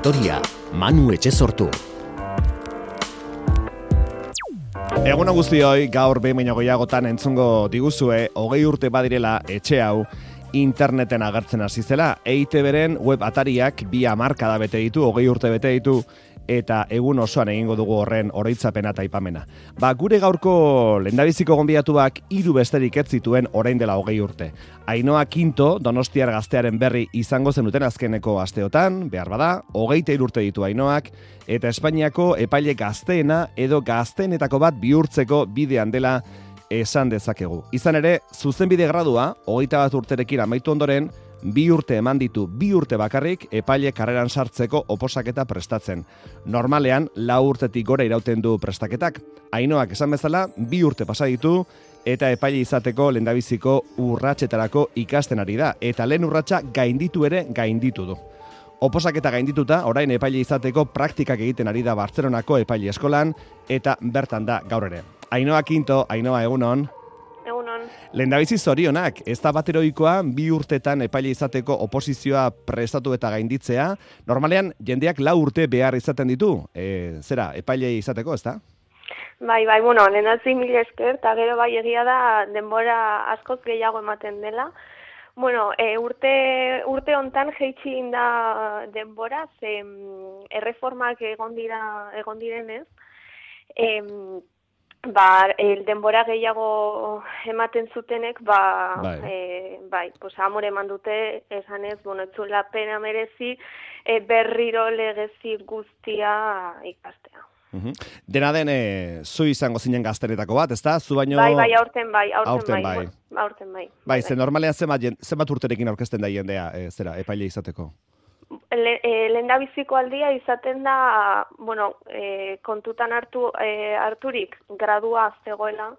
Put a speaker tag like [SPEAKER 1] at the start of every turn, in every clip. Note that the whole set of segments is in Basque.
[SPEAKER 1] historia, Manu Etxezortu.
[SPEAKER 2] Egun guztioi, gaur behin gehiagotan entzungo diguzue, 20 urte badirela etxe hau interneten agertzen hasi zela. EITB-ren web atariak 2 hamarkada bete ditu, 20 urte bete ditu, eta egun osoan egingo dugu horren oroitzapena eta aipamena. Gure gaurko lehendabiziko gonbidatuak 3 besterik ez zituen orain dela 20 urte. Ainhoa Quinto, Donostiar Gaztearen berri izango zenuten azkeneko asteotan, behar bada, 23 urte ditu Ainhoak, eta Espainiako epaile gazteena edo gazteenetako bat bihurtzeko bidean dela esan dezakegu. Izan ere, zuzenbide gradua, 21 urterekin amaitu ondoren, 2 urte eman ditu, 2 urte bakarrik epaile karreran sartzeko oposaketa prestatzen. Normalean, 4 urtetik gora irauten du prestaketak. Ainhoak esan bezala, 2 urte pasa ditu, eta epaile izateko lehendabiziko urratsetarako ikasten ari da. Eta lehen urratsa gainditu du. Oposaketa gaindituta, orain epaile izateko praktikak egiten ari da Bartzelonako epaile eskolan, eta bertan da gaur ere. Ainhoa Quinto, Ainhoa, egunon.
[SPEAKER 3] Egunon.
[SPEAKER 2] Lehendabizi zorionak, ez da bat eroikoa 2 urtetan epaile izateko oposizioa prestatu eta gainditzea. Normalean, jendeak 4 urte behar izaten ditu, epaile izateko, ez da?
[SPEAKER 3] Bai, lehenatzi mil esker, eta gero bai egia da denbora askoz gehiago ematen dela. Urte hontan jeitsi da denbora, ze erreformak egon direnez, denbora gehiago ematen zutenek, amore eman dute, esanez, ez zuela pena merezi, berriro legezi guztia ikastea.
[SPEAKER 2] Dena den, zu izango zinen gaztenetako bat, ez da? Zu baino...
[SPEAKER 3] Bai, aurten bai.
[SPEAKER 2] Bai, ze normalean zenbat urterekin aurkezten da jendea, epaile izateko?
[SPEAKER 3] Lehendabiziko aldia izaten da, kontutan harturik gradua zegoela,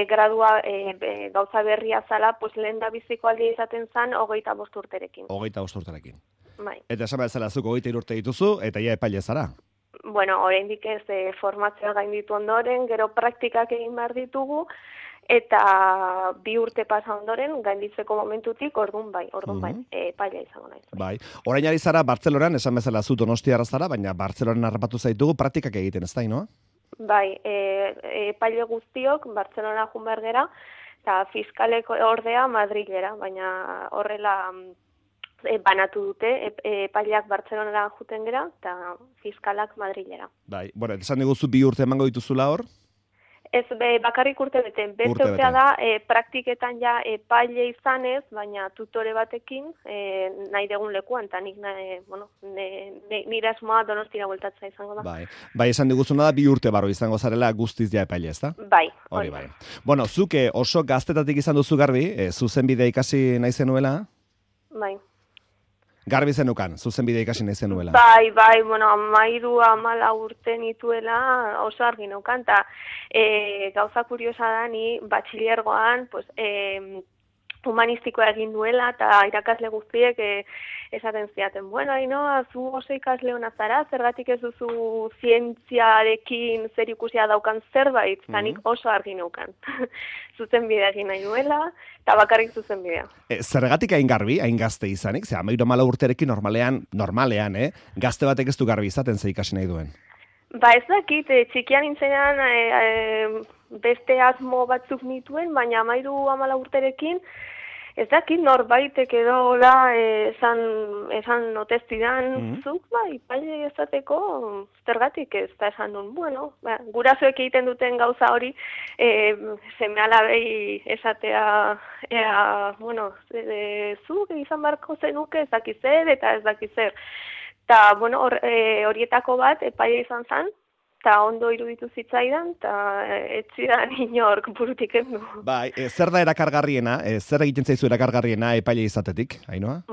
[SPEAKER 3] gradua gauza berria zala, lehendabiziko aldia izaten zan 25 urterekin.
[SPEAKER 2] 25 urterekin.
[SPEAKER 3] Bai.
[SPEAKER 2] Eta esan behar zela, zuk 23 urte dituzu, eta ja epaile zara.
[SPEAKER 3] Oraindik ez formazioa gainditu ondoren, gero praktikak egin behar ditugu, eta 2 urte pasa ondoren, gainditzeko momentutik, orduan bai, epailea izango naiz.
[SPEAKER 2] Bai, orain ari zara Bartzelonan, esan bezala zu Donostiarra zara, baina Bartzelonan harrapatu zaitugu praktikak egiten, ez da, Ainhoa?
[SPEAKER 3] Bai, epaile guztiok Bartzelona joan behar gera, eta fiskalek ordea Madrilera, baina horrela banatu dute, epaileak Bartzelonara juten gera, eta fiskalak Madrilera.
[SPEAKER 2] Bai, esan diguzu 2 urte emango dituzula hor?
[SPEAKER 3] Ez, bakarrik urte bete. Beste urtea da, praktiketan ja epaile izanez, baina tutore batekin, nahi degun lekuan, eta nire asmoa Donostira bueltatzea izango da.
[SPEAKER 2] Bai, esan diguzuna da 2 urte barru izango zarela guztiz ja epaile, ez da?
[SPEAKER 3] Bai.
[SPEAKER 2] Hori bai. Zuke oso gaztetatik izan duzu garbi, zuzenbidea ikasi nahi zenuela?
[SPEAKER 3] Bai.
[SPEAKER 2] Garbi zenukan, zuzenbidea ikasi nahi zenuela.
[SPEAKER 3] Bai, 13-14 urte nituela oso argi neukan, eta gauza kuriosa da ni batxilergoan, humanistikoa egin duela, eta irakasle guztiek esaten ziaten, Ainhoa, zu oso ikasle hona zara, zergatik ez duzu zientziarekin zer ikusia daukan zerbait, eta nik oso argi neukan. Zuzenbidea egin nahi nuela, eta bakarrik zuzenbidea.
[SPEAKER 2] Zergatik hain garbi, hain gazte izanik, 13 urterekin normalean, gazte batek ez du garbi izaten ze ikasi nahi duen?
[SPEAKER 3] Ez dakit, txikian nintzenean beste asmo batzuk nituen, baina 13-14 urterekin, ez dakit norbaitek edo esan otestidan, zuk epaile izateko zergatik ez da esan duen. Gurasoek egiten duten gauza hori, seme-alabei esatea, zuk izan barko zenuke ez dakizer eta ez dakizer. Eta, horietako bat epaile izan zen, eta ondo iruditu zitzaidan, eta etzidan inork burutik endu.
[SPEAKER 2] Bai, zer da erakargarriena, zer egiten zaizu erakargarriena epaile izatetik, Ainhoa?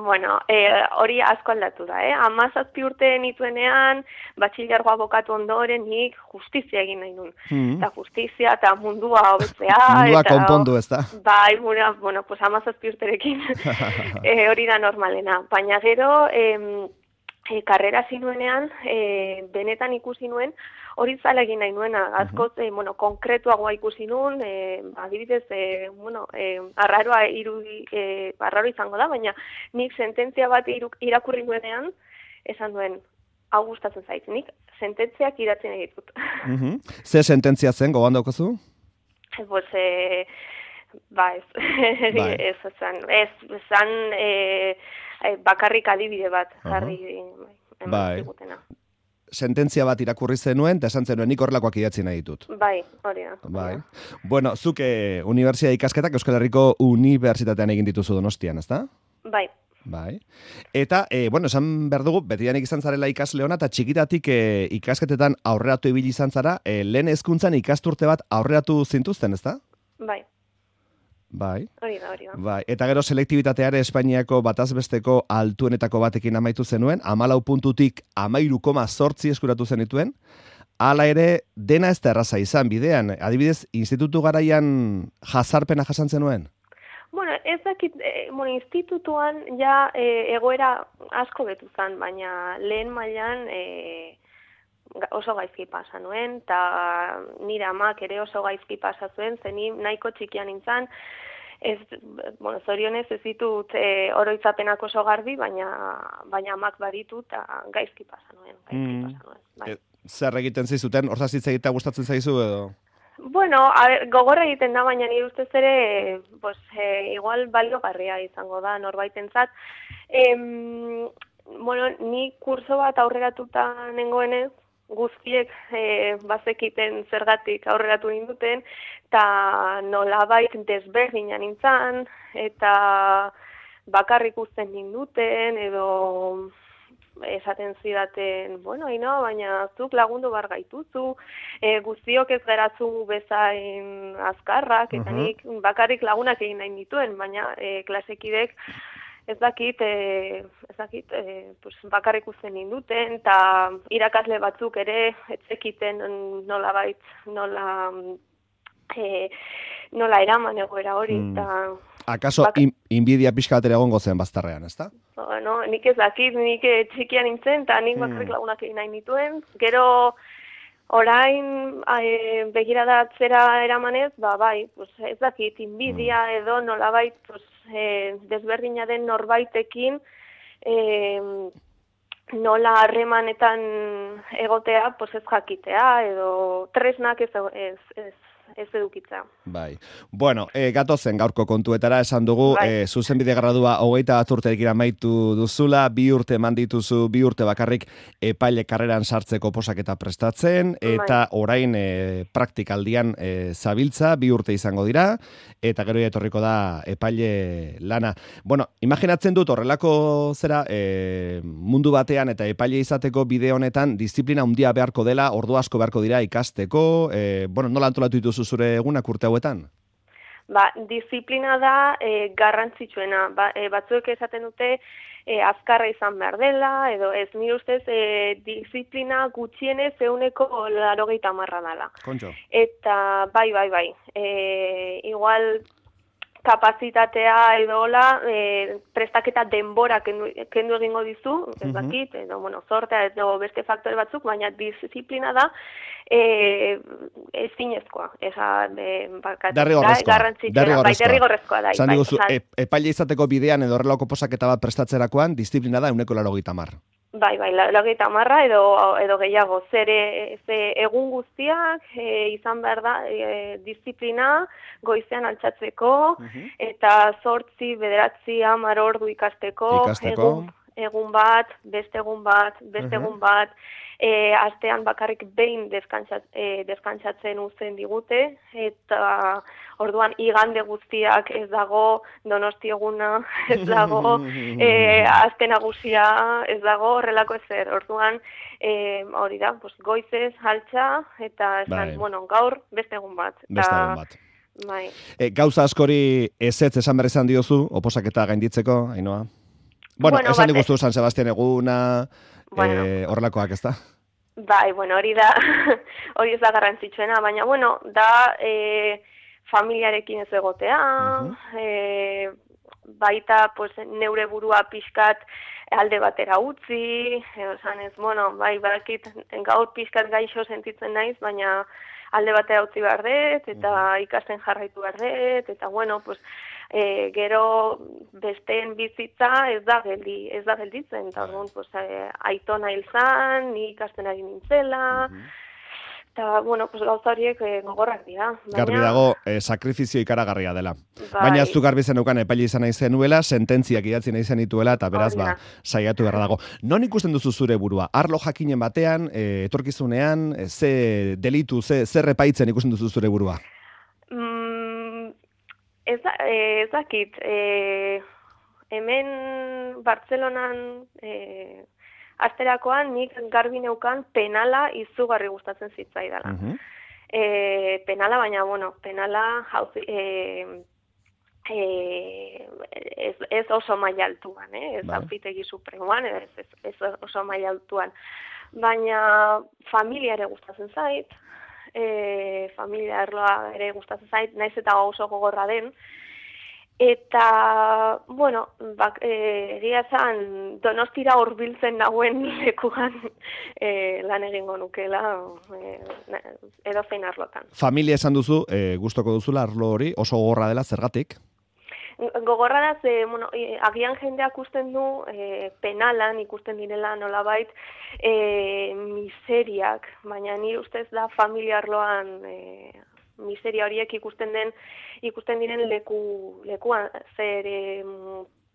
[SPEAKER 3] Hori asko aldatu da, 17 urte nituenean, batxilergoa bokatu ondoren, nik justizia egin nahi nuen. Eta justizia, eta mundua hobetzea.
[SPEAKER 2] Mundua konpondu, ez da?
[SPEAKER 3] Bai, 17 urterekin hori da normalena. Baina gero, karrera zinuenean, benetan ikusi nuen, hori zala egin nahi nuena, askoz, konkretuagoa ikusi nuen, adibidez, arraro izango da, baina nik sententzia bat irakurri nuenean, esan duen, hau gustatzen zait, nik sententziak idatzen ditut.
[SPEAKER 2] Ze sententzia zen, gogoan daukazu?
[SPEAKER 3] Pues, ez, ez zan bakarrik adibide bat jarri eman zigutena.
[SPEAKER 2] Sententzia bat irakurri zenuen, eta esan zenuen, nik horrelakoak idatzi nahi ditut.
[SPEAKER 3] Bai, hori da.
[SPEAKER 2] Bai. Bueno, zuk unibertsitate ikasketak Euskal Herriko Unibertsitatean egin dituzu Donostian, ezta?
[SPEAKER 3] Bai.
[SPEAKER 2] Bai. Eta, esan behar dugu, betidanik izan zarela ikasle ona, eta txikitatik ikasketetan aurreratu ibili izan zara, lehen hezkuntzan ikasturte bat aurreratu zintuzten, ezta?
[SPEAKER 3] Bai.
[SPEAKER 2] Bai.
[SPEAKER 3] Hori da.
[SPEAKER 2] Bai. Eta gero selektibitateare Espainiako batazbesteko altuenetako batekin amaitu zenuen, 14 puntutik 13,8 eskuratu zenituen. Hala ere, dena ez da erraza izan bidean. Adibidez, institutu garaian jazarpena jasan zenuen?
[SPEAKER 3] Bueno, ez dakit, institutuan ja egoera asko betu zen, baina lehen mailan oso gaizki pasa nuen, eta nire amak ere oso gaizki pasa zuen, zeni nahiko txikian nintzen, zorionez ez ditut oroitzapenak oso garbi, baina amak baditu eta gaizki pasa nuen. Bai.
[SPEAKER 2] Zer egiten zizuten, horzaz hitz egitea gustatzen zaizu edo?
[SPEAKER 3] Bueno, gogorra egiten da, baina nire ustez ere, igual baliogarria izango da norbaitentzat. Bueno, ni kurso bat aurreratuta nengoenez, guztiek bazekiten zergatik aurreratu ninduten, eta nolabait desberdina nintzen, eta bakarrik uzten ninduten, edo esaten zidaten, bueno, baina zuk lagundu bar gaituzu, guztiok ez geratzu bezain azkarrak, eta nik bakarrik lagunak egin nahi nituen, baina klasekidek ez dakit, bakarrik uzten ninduten, eta irakasle batzuk ere etzekiten nolabait, nola eraman egoera hori.
[SPEAKER 2] Akaso inbidia pixka batera egongo zen bazterrean, ezta?
[SPEAKER 3] No, nik ez dakit, nik txikia nintzen, eta nik bakarrik lagunak egin nahi nituen. Gero, orain begiradatzera eramanez, bai, ez dakit, inbidia edo nolabait, desberdina den norbaitekin, nola harremanetan egotea, ez jakitea, edo tresnak ez edukitza.
[SPEAKER 2] Bai. Bueno, gatozen gaurko kontuetara esan dugu, zuzenbide gradua 21 urterekin amaitu duzula, 2 urte eman dituzu, 2 urte bakarrik epaile karreran sartzeko posaketa prestatzen, eta orain praktikaldian zabiltza, 2 urte izango dira, eta gero etorriko da epaile lana. Bueno, imaginatzen dut horrelako zera, mundu batean eta epaile izateko bide honetan, disiplina handia beharko dela, ordu asko beharko dira ikasteko, nola antolatu dituzu zure egunak urte hauetan?
[SPEAKER 3] Disiplina da garrantzitsuena. Batzuek esaten dute azkarra izan behar dela, edo ez, nire ustez disiplina gutxienez 80% dela.
[SPEAKER 2] Kontxo.
[SPEAKER 3] Eta bai. Igual kapazitatea edo hola, prestaketa denbora kendu egingo dizu, ez dakit, edo, zortea edo beste faktore batzuk, baina disiplina da ezinezkoa. Derrigorrezkoa da.
[SPEAKER 2] Zan diguzu, epaile izateko bidean edo horrelako posaketa bat prestatzerakoan, disiplina da 80%.
[SPEAKER 3] Bai, 80% edo gehiago. Ze egun guztiak izan behar da disiplina goizean altxatzeko, eta 8, 9, 10 ordu ikasteko. Egun bat, beste egun bat, astean bakarrik behin deskantsatzen uzten digute, eta orduan igande guztiak ez dago, Donosti eguna ez dago, aste nagusia ez dago, horrelako ezer. Orduan, hori da, goizez, altxa, eta esan, gaur beste egun bat. Bai.
[SPEAKER 2] Gauza askori ezetz esan berri izan diozu, oposaketa gainditzeko, Ainhoa? Bueno, esan diguztu San Sebastian eguna, horrelakoak, ez da?
[SPEAKER 3] Bai, hori da, hori ez da garrantzitsuena, baina, da familiarekin ez egotea, baita neure burua pixkat alde batera utzi, esan ez, barakit gaur pixkat gaixo sentitzen naiz, baina alde batera utzi behar dut, eta ikasten jarraitu behar dut, eta gero besteen bizitza ez da gelditzen, eta orduan, pues, aitona hil zan, ni ikasten ari nintzela, eta, bueno, pues, gauza horiek gogorrak dira.
[SPEAKER 2] Garbi dago, sakrifizio ikaragarria dela. Baina ez du garbi zeneukan epaile izan nahi zenuela, sententziak idatzi nahi zenituela, eta beraz, saiatu beharra dago. Non ikusten duzu zure burua? Arlo jakinen batean, etorkizunean, ze delitu, ze repaitzen ikusten duzu zure burua?
[SPEAKER 3] Ez dakit, hemen Bartzelonan asterakoan nik garbi neukan penala izugarri gustatzen zitzaidala. Penala, baina, bueno, penala ez oso maila altuan, ez auzitegi supremoan, ez oso maila altuan. Baina familia ere gustatzen zait, familia arloa ere gustatzen zait, naiz eta oso gogorra den, eta, bueno, egia zan, Donostira hurbiltzen nagoen lekuan lan egingo nukela, edozein arlotan.
[SPEAKER 2] Familia esan duzu, gustoko duzula arlo hori, oso gogorra dela, zergatik?
[SPEAKER 3] Gogorra da, bueno, agian jendeak usten du, penalan ikusten direla nolabait miseriak, baina nire ustez da familia arloan miseria horiek ikusten diren lekuan, zer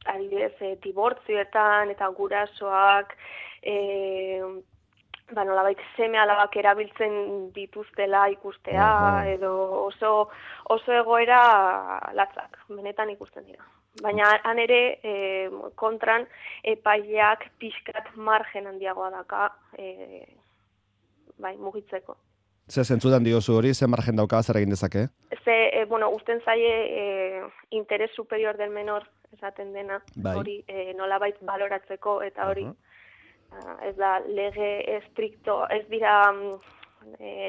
[SPEAKER 3] adibidez dibortzioetan eta gurasoak, nolabait seme alabak erabiltzen dituztela ikustea, edo oso egoera latzak, benetan ikusten dira. Baina han ere kontran epaileak pixkat margen handiagoa daka mugitzeko.
[SPEAKER 2] Ze zentzutan diozu hori, ze margen dauka zer egin dezake?
[SPEAKER 3] Bueno, usten zaie interes superior del menor esaten dena, hori nolabait baloratzeko, eta hori ez da lege estricto, ez dira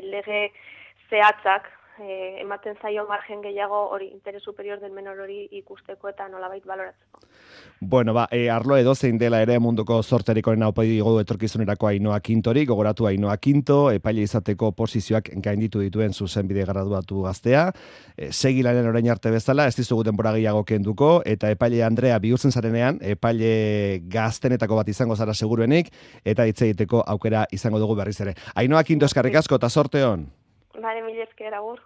[SPEAKER 3] lege zehatzak, ematen zaio margen gehiago hori interes superior del menor hori ikusteko eta nolabait baloratzeko.
[SPEAKER 2] Bueno, arlo edozein dela ere munduko zorterik onena opa digu etorkizunerako Ainhoa Quintori, gogoratu Ainhoa Quinto, epaile izateko posizioak gainditu dituen zuzenbide graduatu gaztea, segi lanen orain arte bezala, ez dizugu denbora gehiago kenduko, eta epaile Andrea bihurtzen zarenean, epaile gaztenetako bat izango zara seguruenik, eta hitz egiteko aukera izango dugu berriz ere. Ainhoa Quinto, eskerrik asko eta zorte on.
[SPEAKER 3] Bale, mila esker, agur.